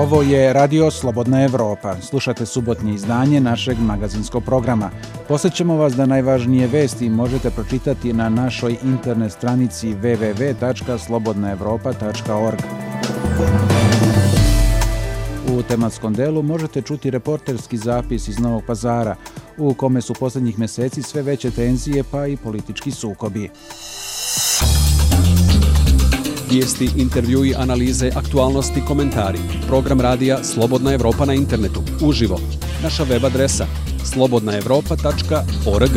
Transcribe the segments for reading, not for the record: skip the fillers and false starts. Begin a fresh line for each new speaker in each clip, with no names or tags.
Ovo je Radio Slobodna Evropa. Slušate subotnje izdanje našeg magazinskog programa. Podsjećamo vas da najvažnije vesti možete pročitati na našoj internet stranici www.slobodnaevropa.org. U tematskom delu možete čuti reporterski zapis iz Novog Pazara, u kome su posljednjih mjeseci sve veće tenzije pa i politički sukobi.
Vijesti, intervjui, analize, aktualnosti, komentari. Program radija Slobodna Evropa na internetu, uživo. Naša web adresa slobodnaevropa.org.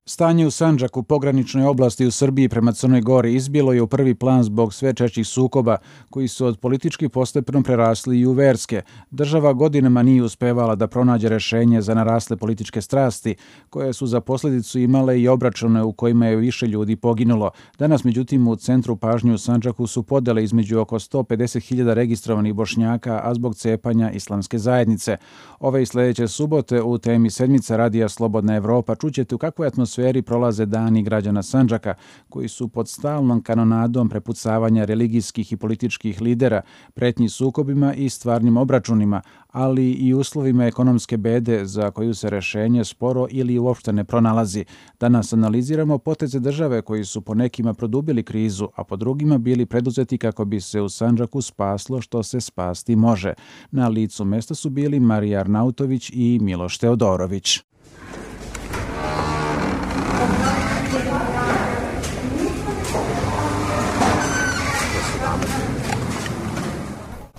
Stanje u Sandžaku, pograničnoj oblasti u Srbiji prema Crnoj Gori, izbilo je u prvi plan zbog sve češćih sukoba koji su od politički postepeno prerasli i u verske. Država godinama nije uspevala da pronađe rješenje za narasle političke strasti, koje su za posljedicu imale i obračune u kojima je više ljudi poginulo. Danas, međutim, u centru pažnje u Sandžaku su podele između oko 150.000 registrovanih Bošnjaka, a zbog cepanja islamske zajednice. Ove i sljedeće subote u temi sedmica Radija Slobodna Evropa čućete u kakvoj atmosferi prolaze dani građana Sandžaka, koji su pod stalnom kanonadom prepucavanja religijskih i političkih lidera, pretnji sukobima i stvarnim obračunima, ali i uslovima ekonomske bede za koju se rješenje sporo ili uopšte ne pronalazi. Danas analiziramo poteze države koji su po nekima produbili krizu, a po drugima bili preduzeti kako bi se u Sandžaku spaslo što se spasti može. Na licu mesta su bili Marija Arnautović i Miloš Teodorović.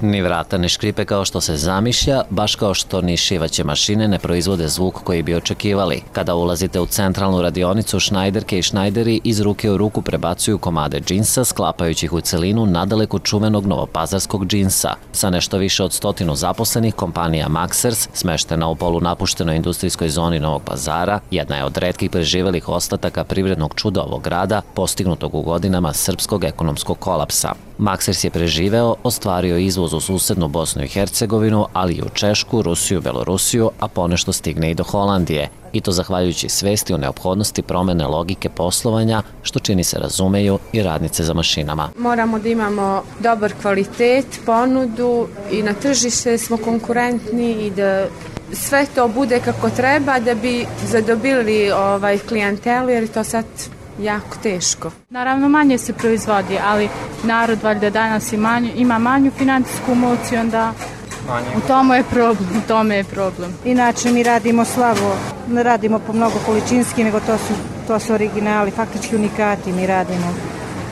Ni vrata ne škripe kao što se zamišlja, baš kao što ni šivaće mašine ne proizvode zvuk koji bi očekivali. Kada ulazite u centralnu radionicu, šnajderke i šnajderi iz ruke u ruku prebacuju komade džinsa, sklapajući ih u celinu nadaleko čuvenog novopazarskog džinsa. Sa nešto više od 100 zaposlenih, kompanija Maxers, smeštena u polunapuštenoj industrijskoj zoni Novog Pazara, jedna je od retkih preživelih ostataka privrednog čuda ovog grada, postignutog u godinama srpskog ekonomskog kolapsa. Maxers je preživeo, ostvario izvoz u susednu Bosnu i Hercegovinu, ali i u Češku, Rusiju, Belorusiju, a ponešto stigne i do Holandije. I to zahvaljujući svesti o neophodnosti promene logike poslovanja, što čini se razumeju i radnice za mašinama.
Moramo da imamo dobar kvalitet, ponudu i na tržište smo konkurentni i da sve to bude kako treba da bi zadobili klijentelu, jer je to sad jako teško.
Naravno, manje se proizvodi, ali narod valjda danas ima manju financijsku moć i onda u tome je problem.
Inače mi radimo slabo, ne radimo po mnogo količinski, nego to su originali, faktički unikati mi radimo.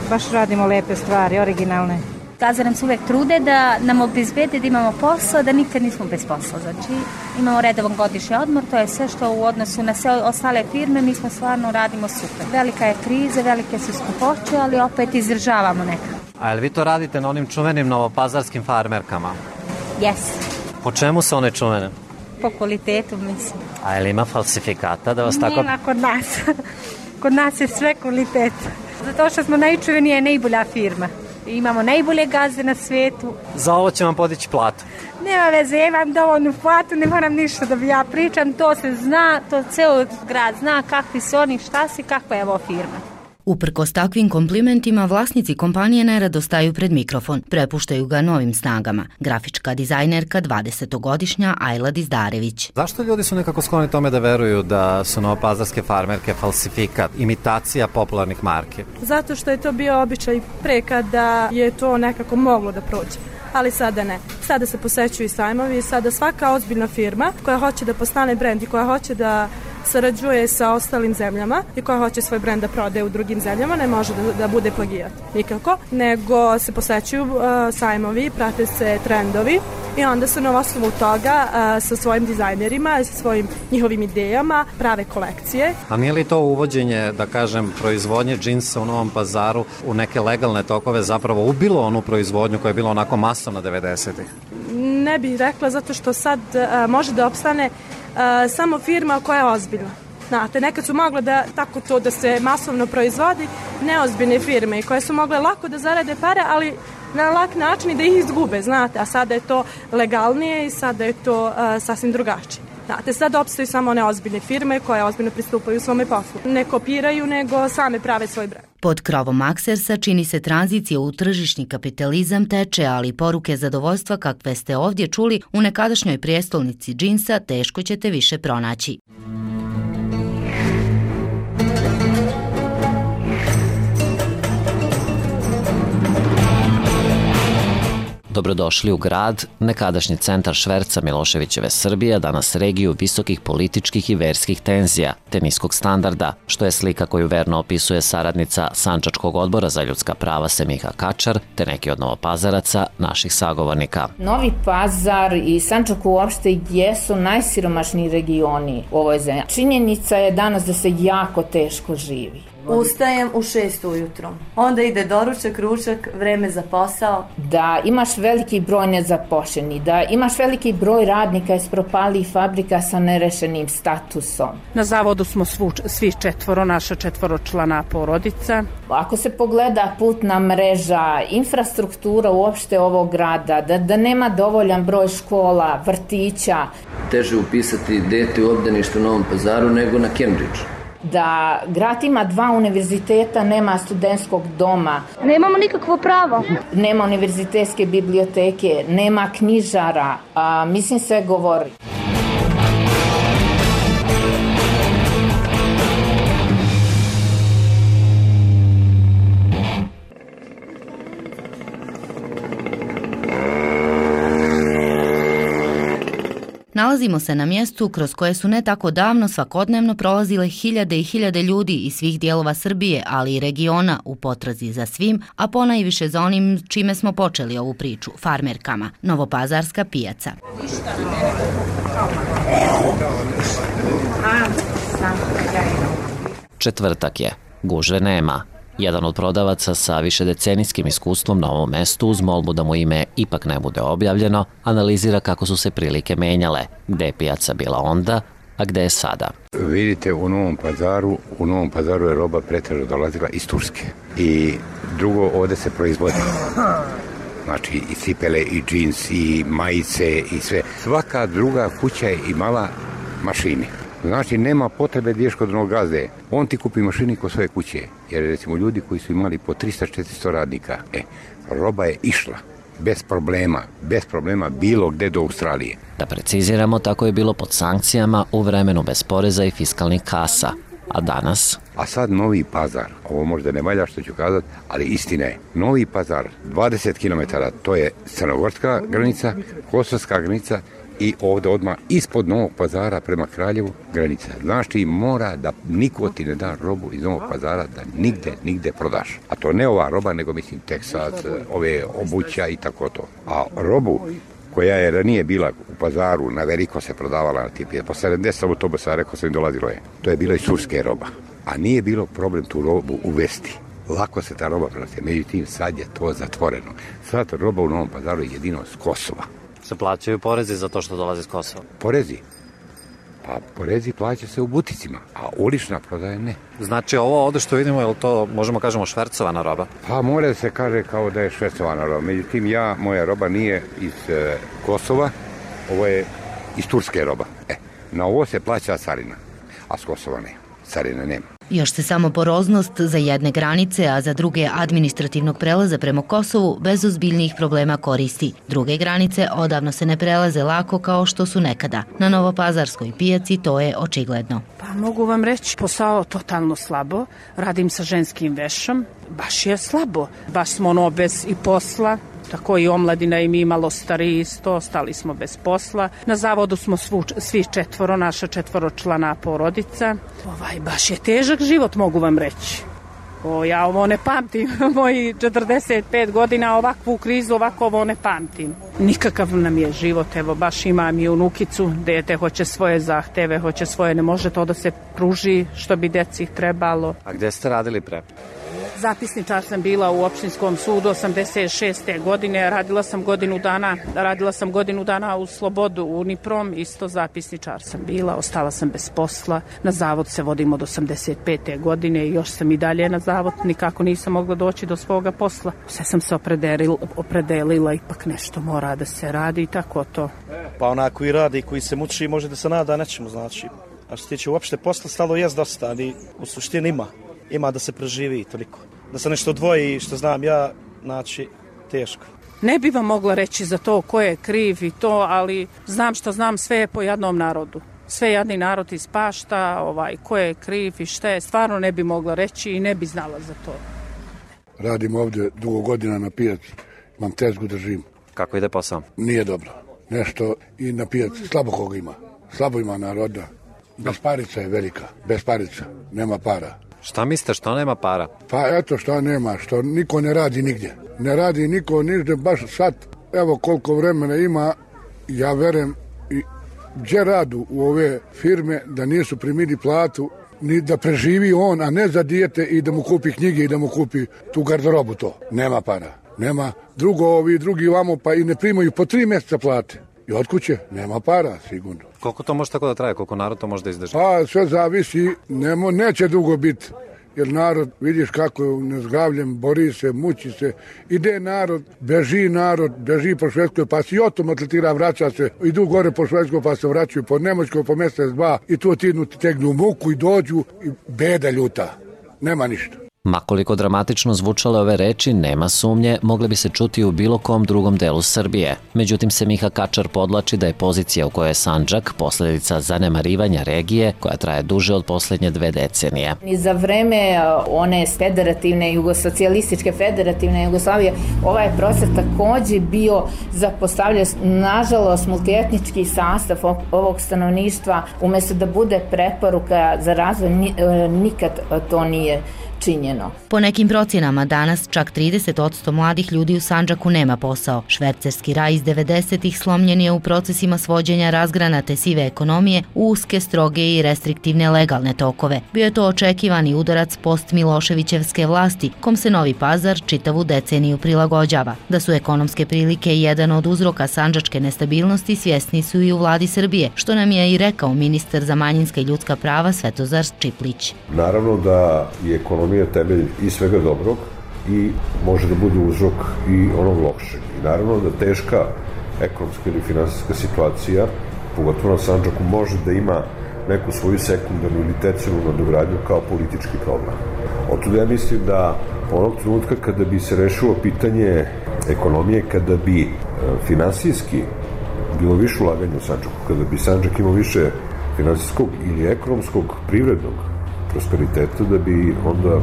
Baš radimo lepe stvari, originalne.
Gazde nam se uvek trude da nam obezbede da imamo posao, da nikad nismo bez posla. Znači, imamo redovan godišnji odmor, to je sve što u odnosu na sve ostale firme, mi smo stvarno radimo super. Velika je kriza, velike su skupoće, ali opet izdržavamo nekako.
A jel vi to radite na onim čuvenim novopazarskim farmerkama?
Jes.
Po čemu su one čuvene?
Po kvalitetu, mislim.
A jel ima falsifikata da vas tako...
Nema kod nas. Kod nas je sve kvalitet. Zato što smo najčuvenija i najbolja firma. Imamo najbolje gazde na svijetu.
Za ovo će vam podići platu.
Nema veze, ja imam dovoljnu platu, ne moram ništa da ja pričam, to se zna, to ceo grad zna kakvi su oni, šta si, kakva je ovo firma.
Uprkos takvim komplimentima, vlasnici kompanije nerado staju pred mikrofon, prepuštaju ga novim snagama. Grafička dizajnerka 20-godišnja Ajla Dizdarević.
Zašto ljudi su nekako skloni tome da veruju da su novopazarske farmerke falsifikat, imitacija popularnih marki?
Zato što je to bio običaj pre kada je to nekako moglo da prođe. Ali sada ne. Sada se posećuju sajmovi i sada svaka ozbiljna firma koja hoće da postane brend i koja hoće da sarađuje sa ostalim zemljama i koja hoće svoj brend da prodaje u drugim zemljama ne može da bude plagijat. Nikako. Nego se posećuju sajmovi, prate se trendovi i onda se na osnovu toga sa svojim dizajnerima, sa svojim njihovim idejama prave kolekcije.
A nije li to uvođenje, da kažem, proizvodnje džinsa u Novom Pazaru u neke legalne tokove zapravo ubilo onu proizvodnju koja je bila onako masovna 90-ih?
Ne bih rekla, zato što sad može da opstane samo firma koja je ozbiljna. Znate, nekad su mogle da tako to da se masovno proizvodi neozbiljne firme koje su mogle lako da zarade pare, ali na lak način i da ih izgube, znate, a sada je to legalnije i sada je to sasvim drugačije. Znate, sad opstaju samo one ozbiljne firme koje ozbiljno pristupaju svome poslu. Ne kopiraju, nego same prave svoj brend.
Pod krovom Aksersa čini se tranzicija u tržišni kapitalizam teče, ali poruke zadovoljstva kakve ste ovdje čuli u nekadašnjoj prijestolnici džinsa teško ćete više pronaći.
Dobrodošli u grad, nekadašnji centar šverca Miloševićeve Srbije, danas regiju visokih političkih i verskih tenzija, te niskog standarda, što je slika koju verno opisuje saradnica Sandžačkog odbora za ljudska prava Semiha Kačar, te neki od Novopazaraca, naših sagovornika.
Novi Pazar i Sandžak uopšte jesu najsiromašniji regioni u ovoj zemlji. Činjenica je danas da se jako teško živi.
Ustajem u 6 ujutro, onda ide doručak, ručak, vreme za posao.
Da imaš veliki broj nezapošljenih, da imaš veliki broj radnika iz propalih fabrika sa nerešenim statusom.
Na zavodu smo svi četvoro, naša četvoročlana porodica.
Ako se pogleda putna mreža, infrastruktura uopšte ovog grada, da nema dovoljan broj škola, vrtića.
Teže upisati dete u obdanište u Novom Pazaru nego na Cambridge.
Da grad ima 2 univerziteta, nema studentskog doma.
Nemamo nikakvo pravo.
Nema univerzitetske biblioteke, nema knjižara, mislim sve govori.
Nalazimo se na mjestu kroz koje su ne tako davno svakodnevno prolazile hiljade i hiljade ljudi iz svih dijelova Srbije, ali i regiona u potrazi za svim, a ponajviše za onim čime smo počeli ovu priču, farmerkama, Novopazarska pijaca.
Četvrtak je, gužve nema. Jedan od prodavaca sa višedecenijskim iskustvom na ovom mestu, uz molbu da mu ime ipak ne bude objavljeno, analizira kako su se prilike menjale, gde je pijaca bila onda, a gde je sada.
Vidite, u Novom Pazaru je roba pretežno dolazila iz Turske. I drugo, ovde se proizvodi. Znači, i cipele, i džins, i majice, i sve. Svaka druga kuća je imala mašine. Znači, nema potrebe da ideš kod onog gazde. On ti kupi mašini kod svoje kuće. Jer, recimo, ljudi koji su imali po 300-400 radnika, roba je išla. Bez problema, bilo gde do Australije.
Da preciziramo, tako je bilo pod sankcijama u vremenu bez poreza i fiskalnih kasa. A danas?
A sad Novi Pazar, ovo možda ne valja što ću kazati, ali istina je. Novi Pazar, 20 km, to je crnogorska granica, kosovska granica, i ovdje odmah ispod Novog Pazara prema Kraljevu granica. Znaš ti, mora da niko ti ne da robu iz Novog Pazara da nigde prodaš. A to ne ova roba, nego mislim Teksas, ove obuća i tako to. A robu koja je ranije bila u Pazaru, na veliko se prodavala na tipi, po 70 autobusa, rekao sam im dolazilo je. To je bilo iz turske roba. A nije bilo problem tu robu uvesti. Lako se ta roba prenosi. Međutim, sad je to zatvoreno. Sad roba u Novom Pazaru je jedino s Kosova.
Se plaćaju porezi za to što dolazi iz Kosova?
Porezi? Pa porezi plaća se u buticima, a ulična prodaja ne.
Znači ovo ovdje što vidimo, je li to, možemo kažemo, švercovana roba?
Pa mora da se kaže kao da je švercovana roba. Međutim, moja roba nije iz Kosova, ovo je iz turske roba. Na ovo se plaća carina, a s Kosova ne. Carina nema.
Još se samo poroznost za jedne granice, a za druge administrativnog prelaza prema Kosovu bez ozbiljnijih problema koristi. Druge granice odavno se ne prelaze lako kao što su nekada. Na Novopazarskoj pijaci to je očigledno.
Pa mogu vam reći, posao totalno slabo. Radim sa ženskim vešom. Baš je slabo. Baš smo bez i posla. Tako i omladina i mi malo stariji isto, ostali smo bez posla. Na zavodu smo svi četvoro, naša četvoročlana porodica. Baš je težak život, mogu vam reći. Ja ovo ne pamtim, moji 45 godina ovakvu krizu, ovako ovo ne pamtim. Nikakav nam je život, evo baš imam i unukicu, dete hoće svoje zahteve, hoće svoje, ne može to da se pruži što bi deci trebalo.
A gde ste radili pre?
Zapisničar sam bila u opštinskom sudu 86. godine, radila sam godinu dana u Slobodu, Uniprom, isto zapisničar sam bila, ostala sam bez posla, na zavod se vodim od 85. godine i još sam i dalje na zavod, nikako nisam mogla doći do svoga posla. Sve sam se opredelila, ipak nešto mora da se radi i tako to.
Pa onako koji radi, koji se muči, može da se nada nečemu, znači. A što se tiče uopšte posla, stalo jest dosta, ali u suštini ima da se preživi i toliko. da se nešto odvoji što znam ja, znači teško.
Ne bi vam mogla reći za to ko je kriv i to, ali znam što znam, sve je po jednom narodu. Sve jedni narod ispašta, ko je kriv i šta je, stvarno ne bi mogla reći i ne bi znala za to.
Radim ovdje dugo godina na pijaci, imam tezgu držim.
Kako ide posao?
Nije dobro. Nešto i na pijaci, slabo koga ima. Slabo ima naroda. Besparica je velika, besparica, nema para.
Šta mislite, što nema para?
Pa eto što nema, što niko ne radi nigdje. Ne radi niko nigdje, baš sad, evo koliko vremena ima, ja verujem i gdje radu u ove firme da nisu primili platu, ni da preživi on, a ne za dijete i da mu kupi knjige i da mu kupi tu garderobu to. Nema para, nema. Ovi drugi vamo pa i ne primaju po 3 mjeseca plate. I od kuće nema para, sigurno.
Koliko to može tako da traje, koliko narod to može da izdrži?
Pa sve zavisi, neće dugo biti. Jer narod, vidiš kako je nezgravljen, bori se, muči se. Ide narod, beži po Švedskoj, pa se i otom atletira, vraća se. Idu gore po Švedskoj, pa se vraćaju po Nemačkoj, po mjesec, 2. I tu ti tegnu muku i dođu i beda ljuta. Nema ništa.
Makoliko dramatično zvučale ove reči, nema sumnje, mogle bi se čuti u bilo kom drugom delu Srbije. Međutim, se Miha Kačar podlači da je pozicija u kojoj je Sandžak posljedica zanemarivanja regije koja traje duže od posljednje 2 decenije.
I za vreme one socijalističke federativne Jugoslavije ovaj prostor također bio zapostavljen, nažalost, multietnički sastav ovog stanovništva, umjesto da bude preporuka za razvoj, nikad to nije činjeno.
Po nekim procjenama danas čak 30% mladih ljudi u Sandžaku nema posao. Švercerski raj iz 90-ih slomljen je u procesima svođenja razgranate sive ekonomije u uske, stroge i restriktivne legalne tokove. Bio je to očekivani udarac post-Miloševićevske vlasti, kom se Novi Pazar čitavu deceniju prilagođava. Da su ekonomske prilike jedan od uzroka sandžačke nestabilnosti svjesni su i u vladi Srbije, što nam je i rekao ministar za manjinska i ljudska prava Svetozar Čiplić.
Naravno da je ekonomija temelj i svega dobrog i može da bude uzrok i onog lošeg. I naravno da teška ekonomska ili finansijska situacija, pogotovo na Sandžaku, može da ima neku svoju sekundarnu ili tercijarnu nadogradnju kao politički problem. Otud ja mislim da onog trenutka kada bi se rešilo pitanje ekonomije, kada bi finansijski bilo više ulaganja u Sandžaku, kada bi Sandžak imao više finansijskog ili ekonomskog, privrednog prosperiteta, da bi onda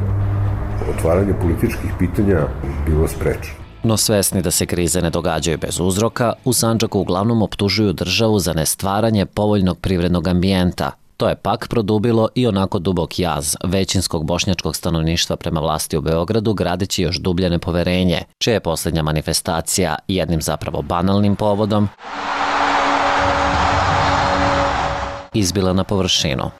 otvaranje političkih pitanja bilo sprečeno.
No svesni da se krize ne događaju bez uzroka, u Sandžaku uglavnom optužuju državu za nestvaranje povoljnog privrednog ambijenta. To je pak produbilo i onako dubok jaz većinskog bošnjačkog stanovništva prema vlasti u Beogradu, gradeći još dublje nepoverenje, čija je posljednja manifestacija jednim zapravo banalnim povodom izbila na površinu.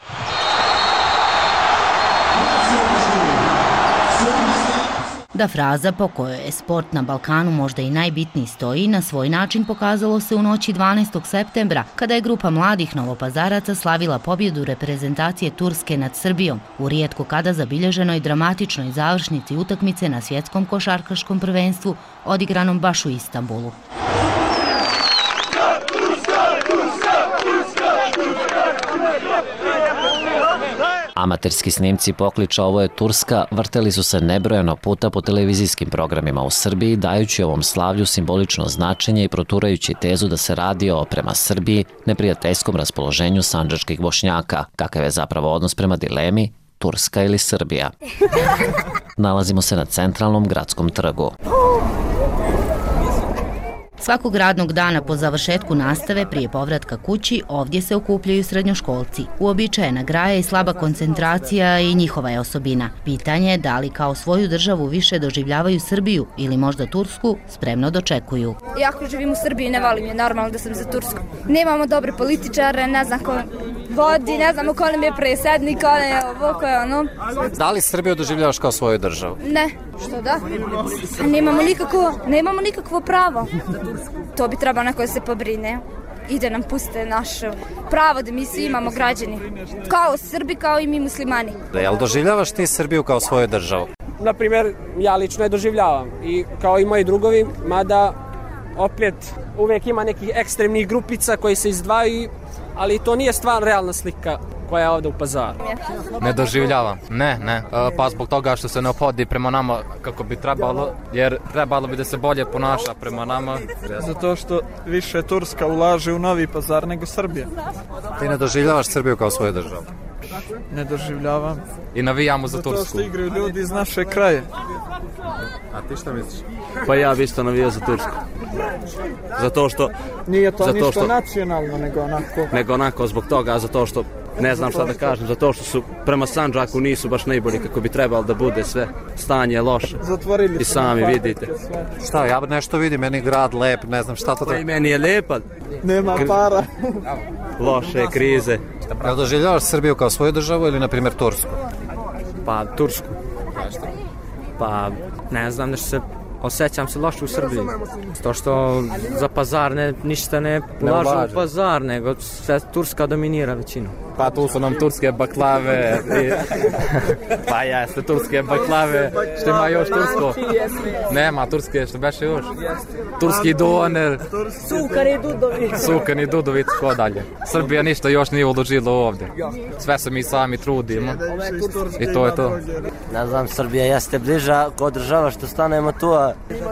Da fraza po kojoj je sport na Balkanu možda i najbitniji stoji, na svoj način pokazalo se u noći 12. septembra, kada je grupa mladih Novopazaraca slavila pobjedu reprezentacije Turske nad Srbijom u rijetko kada zabilježenoj dramatičnoj završnici utakmice na svjetskom košarkaškom prvenstvu odigranom baš u Istanbulu.
Amaterski snimci pokliča "Ovo je Turska" vrteli su se nebrojeno puta po televizijskim programima u Srbiji, dajući ovom slavlju simbolično značenje i proturajući tezu da se radi o, prema Srbiji, neprijateljskom raspoloženju sandžačkih Bošnjaka, kakav je zapravo odnos prema dilemi Turska ili Srbija. Nalazimo se na centralnom gradskom trgu.
Svakog radnog dana po završetku nastave prije povratka kući ovdje se okupljaju srednjoškolci. Uobičajena graja i slaba koncentracija i njihova je osobina. Pitanje je da li kao svoju državu više doživljavaju Srbiju ili možda Tursku spremno dočekuju.
Iako živim u Srbiji, ne volim je, normalno da sam za Tursku. Nemamo dobre političare, ne znam ko vodi, ne znamo ko nam je predsjednik, ko je ovo, ko je ono.
Da li Srbiju doživljavaš kao svoju državu?
Ne, što da? Nemamo nikakvo pravo. To bi trebalo neko da se pobrine i da nam puste naše pravo da mi svi imamo građani. Kao Srbi, kao i mi muslimani.
Jel doživljavaš ti Srbiju kao svoju državu?
Naprimjer, ja lično je doživljavam i kao i moji drugovi, mada opet uvijek ima nekih ekstremnih grupica koji se izdvajaju, ali to nije stvar realna slika koja je ovde u Pazaru.
Ne doživljavam, ne. Pa zbog toga što se ne ophodi prema nama kako bi trebalo, jer trebalo bi da se bolje ponaša prema nama.
Zato što više Turska ulaže u Novi Pazar nego Srbija.
Ti ne doživljavaš Srbiju kao svoju državu?
Ne doživljavam.
I navijamo za Tursku.
Zato što igraju ljudi iz naše kraje.
A ti šta misliš?
Pa ja bi isto navijao za Tursku. Zato što...
Nije to ništa nacionalno, nego onako
zbog toga, zato što ne znam šta da kažem, zato što su prema Sandžaku nisu baš najbolji kako bi trebalo da bude, sve stanje je loše.
Zatvorili
i sami vidite.
Šta, ja nešto vidim, meni grad lep, ne znam šta to treba.
Pa i meni je lepa.
Nema para.
Loše krize.
Ja doživljavaš Srbiju kao svoju državu ili na primjer Tursku?
Pa Tursku. Pa ne znam, nešto se osjećam se loše u Srbiji. To što za Pazar ništa ne ulažu u Pazar, nego sve Turska dominira većinu. Pa tu su nam turske baklave. Pa jeste, turske baklave. Što ima još tursko? Nema turske, što beše još? Turski doner. Sukani dudovic, ko dalje. Srbija ništa još nije uložila ovdje. Sve se mi sami trudimo. I to je to.
Ne znam, Srbija jeste bliža kod država što stanemo tu,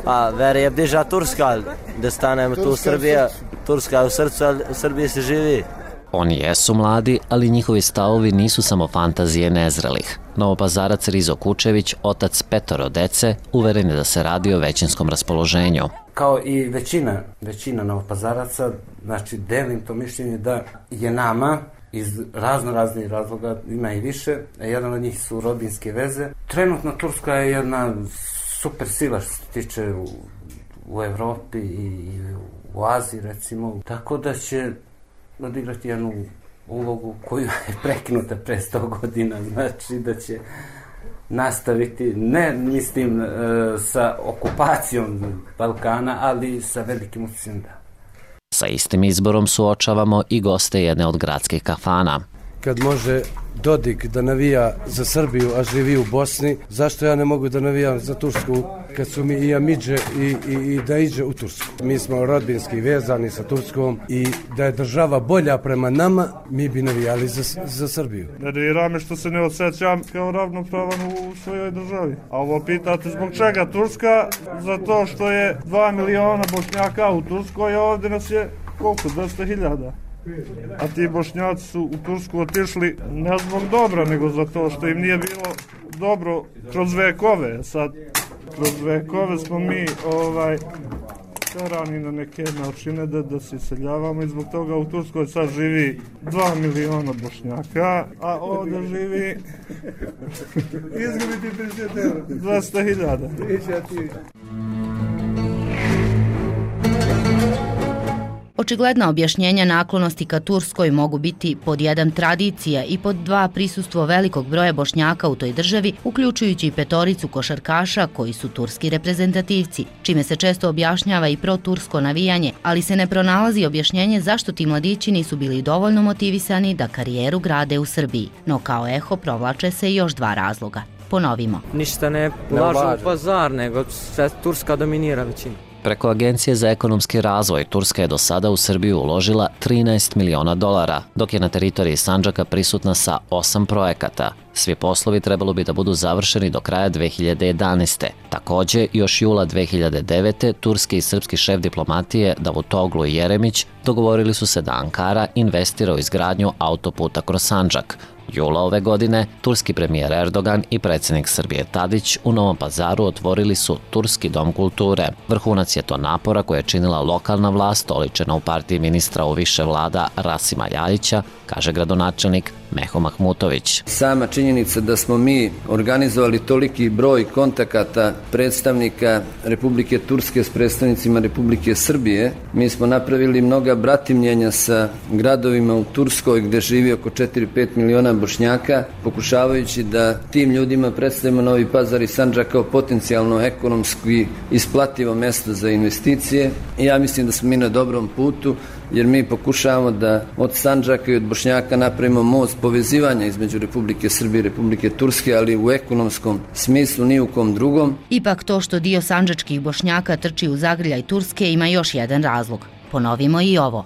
a veri je bliža Turska, da stanemo tu Srbija. Turska je u srcu, ali u Srbiji se živi.
Oni jesu mladi, ali njihovi stavovi nisu samo fantazije nezrelih. Novopazarac Rizo Kučević, otac 5 dece, uveren je da se radi o većinskom raspoloženju.
Kao i većina Novopazaraca, znači delim to mišljenje da je nama iz raznih razloga, ima i više, a jedan od njih su rodbinske veze. Trenutno Turska je jedna super sila što se tiče u Evropi i u Aziji recimo, tako da će odigrati jednu ulogu koju je prekinuta pre 100 godina, znači da će nastaviti, ne mislim sa okupacijom Balkana, ali sa velikim utjecajem da.
Sa istim izborom suočavamo i goste jedne od gradskih kafana.
Kad može Dodik da navija za Srbiju, a živi u Bosni, zašto ja ne mogu da navijam za Tursku kad su mi i Amidže i da iđe u Tursku? Mi smo rodbinski vezani sa Turskom i da je država bolja prema nama, mi bi navijali za Srbiju.
Nervira me što se ne osjećam kao ravnopravan u svojoj državi. A ovo pitate zbog čega Turska? Zato što je 2 miliona Bošnjaka u Turskoj, a ovdje nas je koliko? 200.000. A ti Bošnjaci su u Tursku otišli ne zbog dobra, nego zato što im nije bilo dobro kroz vekove. Sad, kroz vekove smo mi terani na neke načine da se iseljavamo i zbog toga u Turskoj sad živi 2 miliona Bošnjaka, a ovdje živi 200.000.
Očigledna objašnjenja naklonosti ka Turskoj mogu biti pod 1 tradicija i pod 2 prisustvo velikog broja Bošnjaka u toj državi, uključujući i 5 košarkaša koji su turski reprezentativci, čime se često objašnjava i protursko navijanje, ali se ne pronalazi objašnjenje zašto ti mladići nisu bili dovoljno motivisani da karijeru grade u Srbiji. No kao eho provlače se još 2 razloga. Ponovimo.
Ništa ne ulažu u Pazar, nego sve Turska dominira većinu.
Preko Agencije za ekonomski razvoj Turska je do sada u Srbiju uložila $13 miliona, dok je na teritoriji Sandžaka prisutna sa 8 projekata. Svi poslovi trebalo bi da budu završeni do kraja 2011. Takođe, još jula 2009. turski i srpski šef diplomatije Davutoglu i Jeremić dogovorili su se da Ankara investira u izgradnju autoputa kroz Sandžak. Jula ove godine, turski premijer Erdogan i predsjednik Srbije Tadić u Novom Pazaru otvorili su Turski dom kulture. Vrhunac je to napora koje je činila lokalna vlast, oličena u partiji ministra u više vlada Rasima Ljajića, kaže gradonačelnik Meho Mahmutović.
Sama činjenica da smo mi organizovali toliki broj kontakata predstavnika Republike Turske s predstavnicima Republike Srbije, mi smo napravili mnoga bratimljenja sa gradovima u Turskoj gde živi oko 4-5 miliona Bošnjaka, pokušavajući da tim ljudima predstavimo Novi Pazar i Sandžak kao potencijalno ekonomski isplativo mesto za investicije. I ja mislim da smo mi na dobrom putu, jer mi pokušavamo da od Sandžaka i od Bošnjaka napravimo most povezivanja između Republike Srbije i Republike Turske, ali u ekonomskom smislu ni u kom drugom.
Ipak to što dio sandžačkih Bošnjaka trči u zagrljaj Turske ima još jedan razlog. Ponovimo i ovo.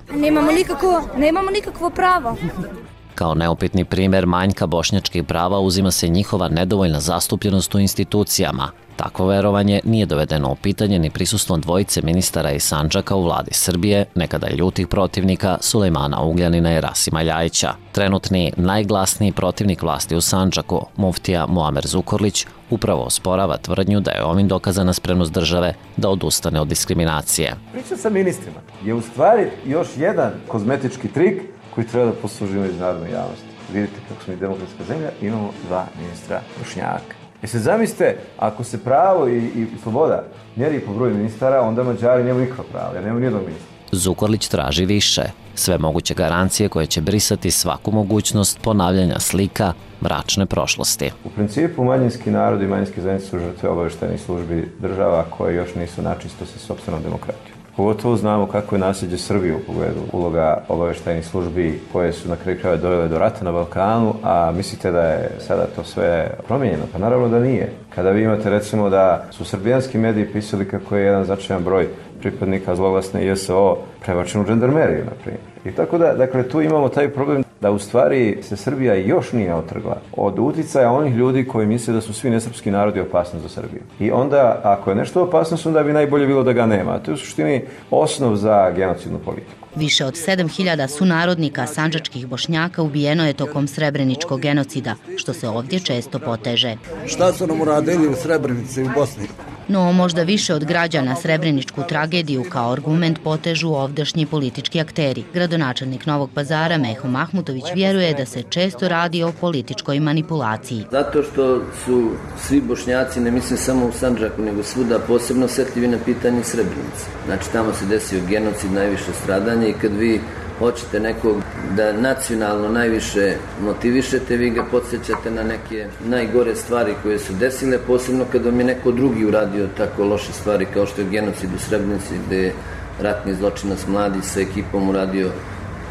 Nemamo nikakvo pravo.
Kao neupitni primer manjka bošnjačkih prava uzima se njihova nedovoljna zastupljenost u institucijama. Takvo verovanje nije dovedeno u pitanje ni prisustvom dvojice ministara iz Sandžaka u vladi Srbije, nekada ljutih protivnika Sulejmana Ugljanina i Rasima Ljajića. Trenutni najglasniji protivnik vlasti u Sandžaku, muftija Muamer Zukorlić, upravo osporava tvrdnju da je ovim dokazana spremnost države da odustane od diskriminacije.
Priča sa ministrima je u stvari još jedan kozmetički trik koji treba da posluži međunarodnoj javnosti. Vidite kako smo i demokratska zemlja, imamo 2 ministra Bošnjaka. Sad zamislite, ako se pravo i sloboda mjeri po broju ministara, onda Mađari nemaju nikakva prava, jer nemaju nijednog ministra.
Zukorlić traži više, sve moguće garancije koje će brisati svaku mogućnost ponavljanja slika mračne prošlosti.
U principu, manjinski narod i manjinske zajednice su žrtve obavještajnih službi država koje još nisu načisto sa sopstvenom demokratijom. Pogotovo znamo kako je nasljeđe Srbije u pogledu uloga obavještajnih službi koje su na kraju krajeva dovele do rata na Balkanu, a mislite da je sada to sve promijenjeno? Pa naravno da nije. Kada vi imate recimo da su srbijanski mediji pisali kako je jedan značajan broj pripadnika zloglasne JSO prebačen u žandarmeriju, na primjer. I tako da, dakle, tu imamo taj problem da u stvari se Srbija još nije otrgla od uticaja onih ljudi koji misle da su svi nesrpski narodi opasnost za Srbiju. I onda, ako je nešto opasnost, onda bi najbolje bilo da ga nema. To je u suštini osnov za genocidnu politiku.
Više od 7000 sunarodnika sandžačkih Bošnjaka ubijeno je tokom Srebreničkog genocida, što se ovdje često poteže.
Šta su nam uradili u Srebrenici i u Bosni?
No, možda više od građana Srebreničku tragediju kao argument potežu ovdašnji politički akteri. Gradonačelnik Novog Pazara Meho Mahmutović vjeruje da se često radi o političkoj manipulaciji.
Zato što su svi Bošnjaci, ne mislim samo u Sandžaku, nego svuda posebno osjetljivi na pitanje Srebrenice. Znači, tamo se desio genocid, najviše stradanje i kad vi hoćete nekog da nacionalno najviše motivišete, vi ga podsjećate na neke najgore stvari koje su desile, posebno kad vam je neko drugi uradio tako loše stvari kao što je genocid u Srebrenici, gde je ratni zločinac mladi sa ekipom uradio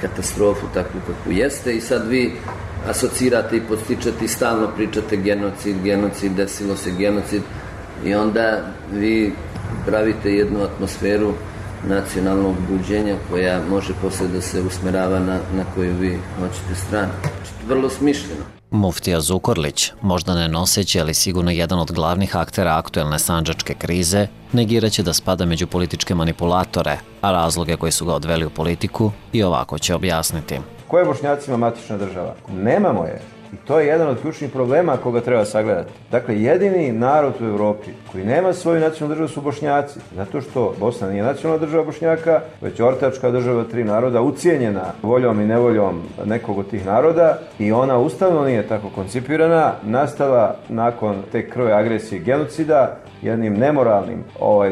katastrofu takvu kakvu jeste i sad vi asocirate i podstičate i stalno pričate genocid, desilo se genocid i onda vi pravite jednu atmosferu nacionalnog buđenja koja može posle da se usmerava na koju vi hoćete stranu. Vrlo smišljeno.
Muftija Zukorlić, možda ne noseći, ali sigurno jedan od glavnih aktera aktuelne sandžačke krize, negiraće da spada među političke manipulatore, a razloge koji su ga odveli u politiku i ovako će objasniti.
Ko je Bošnjacima matična država? Nemamo je. I to je jedan od ključnih problema koga treba sagledati. Dakle, jedini narod u Evropi koji nema svoju nacionalnu državu su Bošnjaci. Zato što Bosna nije nacionalna država Bošnjaka, već ortačka država 3 naroda, ucijenjena voljom i nevoljom nekog od tih naroda i ona ustavno nije tako koncipirana, nastala nakon te krve agresije i genocida, jednim nemoralnim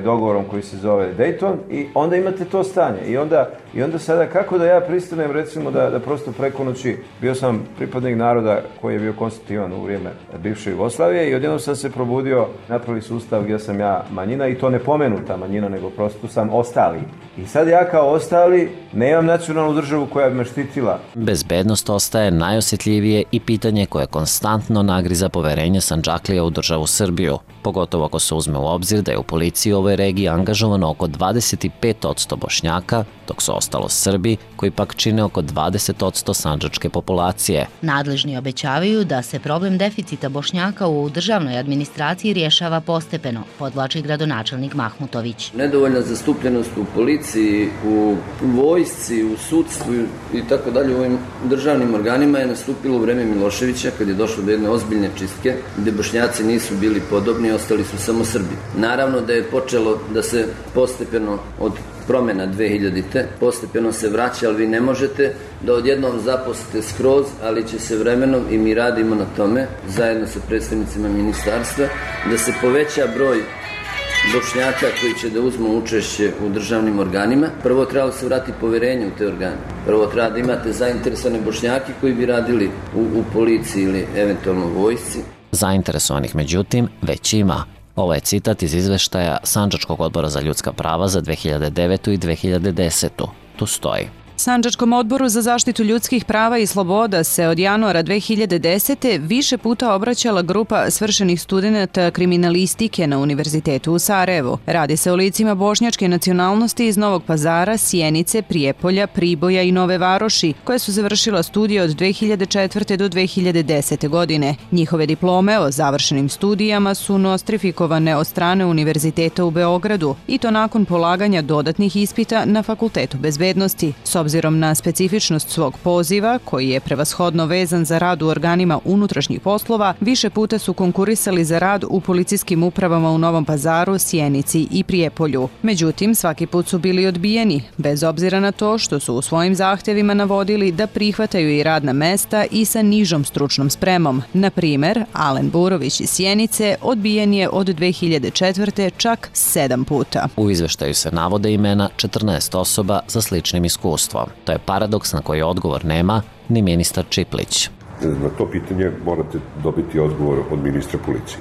dogovorom koji se zove Dayton i onda imate to stanje. I onda sada kako da ja pristanem recimo da prosto preko noći bio sam pripadnik naroda koji je bio konstitutivan u vrijeme bivše Jugoslavije i odjednom sam se probudio, napravili sustav gdje sam ja manjina i to ne pomenuta manjina, nego prosto sam ostali. I sad ja kao ostali nemam nacionalnu državu koja bi me štitila.
Bezbednost ostaje najosjetljivije i pitanje koje konstantno nagriza poverenje Sandžaklija u državu Srbiju, pogotovo ako se uzme u obzir da je u policiji u ovoj regiji angažovano oko 25% Bošnjaka, dok su ostalo Srbi, koji pak čine oko 20% sandžačke populacije.
Nadležni obećavaju da se problem deficita Bošnjaka u državnoj administraciji rješava postepeno, podvlači gradonačelnik Mahmutović.
Nedovoljna zastupljenost u policiji, u vojsci, u sudstvu i tako dalje, u ovim državnim organima je nastupilo u vreme Miloševića, kad je došlo do jedne ozbiljne čistke, gde Bošnjaci nisu bili podobni, ostali su samo Srbi. Naravno da je počelo da se postepeno od promjena 2000-te, postepeno se vraća, ali vi ne možete da odjednom zaposlite skroz, ali će se vremenom, i mi radimo na tome, zajedno sa predstavnicima ministarstva, da se poveća broj Bošnjaka koji će da uzmu učešće u državnim organima. Prvo treba da se vrati poverenje u te organe. Prvo treba da imate zainteresovane Bošnjake koji bi radili u policiji ili eventualno u vojsci.
Zainteresovanih, međutim, već ima. Ovo je citat iz izveštaja Sandžačkog odbora za ljudska prava za 2009. i 2010. Tu stoji:
Sandžačkom odboru za zaštitu ljudskih prava i sloboda se od januara 2010. više puta obraćala grupa svršenih studenata kriminalistike na Univerzitetu u Sarajevu. Radi se o licima bošnjačke nacionalnosti iz Novog Pazara, Sjenice, Prijepolja, Priboja i Nove Varoši, koje su završila studije od 2004. do 2010. godine. Njihove diplome o završenim studijama su nostrifikovane od strane Univerziteta u Beogradu i to nakon polaganja dodatnih ispita na Fakultetu bezbednosti. S obzirom na specifičnost svog poziva, koji je prevashodno vezan za rad u organima unutrašnjih poslova, više puta su konkurisali za rad u policijskim upravama u Novom Pazaru, Sjenici i Prijepolju. Međutim, svaki put su bili odbijeni, bez obzira na to što su u svojim zahtjevima navodili da prihvataju i radna mesta i sa nižom stručnom spremom. Na primjer, Alen Burović iz Sjenice odbijen je od 2004. čak 7 puta.
U izveštaju se navode imena 14 osoba sa sličnim iskustvom. To je paradoks na koji odgovor nema ni ministar Čiplić.
Na to pitanje morate dobiti odgovor od ministra policije.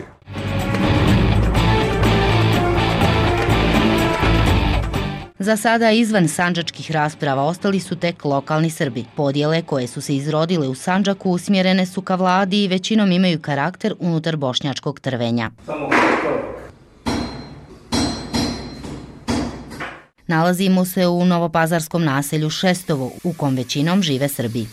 Za sada izvan sandžačkih rasprava ostali su tek lokalni Srbi. Podjele koje su se izrodile u Sandžaku usmjerene su ka vladi i većinom imaju karakter unutar bošnjačkog trvenja. Nalazimo se u novopazarskom naselju Šestovo, u kom većinom žive Srbi.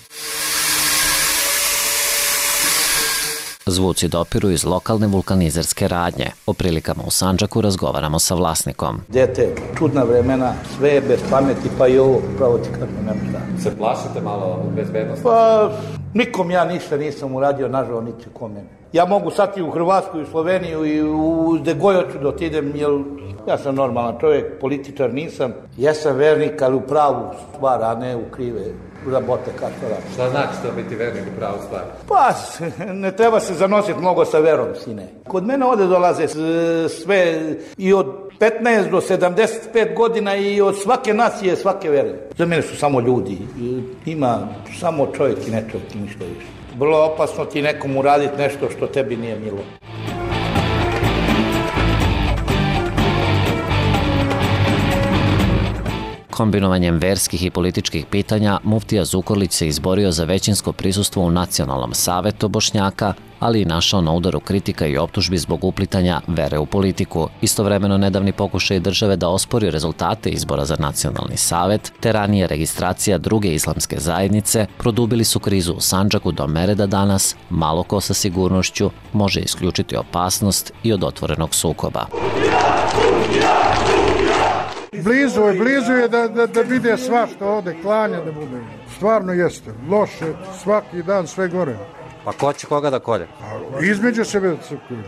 Zvuci dopiru iz lokalne vulkanizerske radnje. O prilikama u Sandžaku razgovaramo sa vlasnikom.
Dete, čudna vremena, sve je bez pameti, pa i ovo, pravo ti kako nema šta.
Se plašite malo bezbednosti?
Pa, nikom ja ništa nisam uradio, nažal niti kome. Ja mogu sad i u Hrvatsku, i u Sloveniju, i u gde god hoću da otidem, jer ja sam normalan čovjek, političar nisam. Ja sam vernik, ali u pravu stvar, a ne u krive. Rabote, kako radi.
Šta znači to biti vernik u pravu stvar?
Pa, ne treba se zanositi mnogo sa verom, sine. Kod mene ovde dolaze sve i od 15 do 75 godina i od svake nacije, svake vere. Za mene su samo ljudi. Ima samo čovjek i ne čovjek i ništa više. Vrlo opasno ti nekom uraditi nešto što tebi nije milo.
Kombinovanjem verskih i političkih pitanja, muftija Zukorlić se izborio za većinsko prisustvo u Nacionalnom savetu Bošnjaka, ali i našao na udaru kritika i optužbi zbog uplitanja vere u politiku. Istovremeno nedavni pokušaj države da ospori rezultate izbora za Nacionalni savet, te ranije registracija druge islamske zajednice, produbili su krizu u Sandžaku do mere da danas malo ko sa sigurnošću može isključiti opasnost i od otvorenog sukoba.
Blizu je da vide sva što ode, klanja da bude. Stvarno jeste, loše, svaki dan sve gore.
Pa ko će koga da kolje?
Između sebe da se kolje.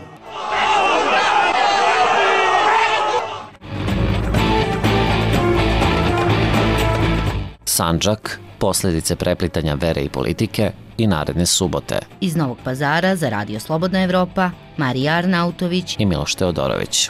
Sandžak, posljedice preplitanja vere i politike i naredne subote.
Iz Novog Pazara za Radio Slobodna Evropa, Marija Arnautović
i Miloš Teodorović.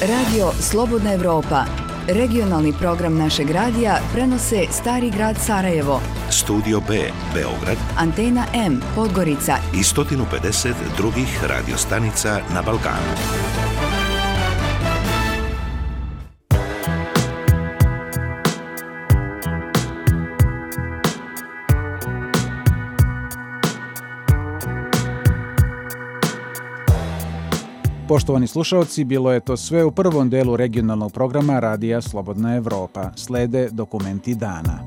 Radio Slobodna Evropa. Regionalni program našeg radija prenose Stari grad Sarajevo,
Studio B, Beograd,
Antena M, Podgorica
i 150 drugih radiostanica na Balkanu.
Poštovani slušalci, bilo je to sve u prvom delu regionalnog programa Radija Slobodna Evropa. Slede dokumenti dana.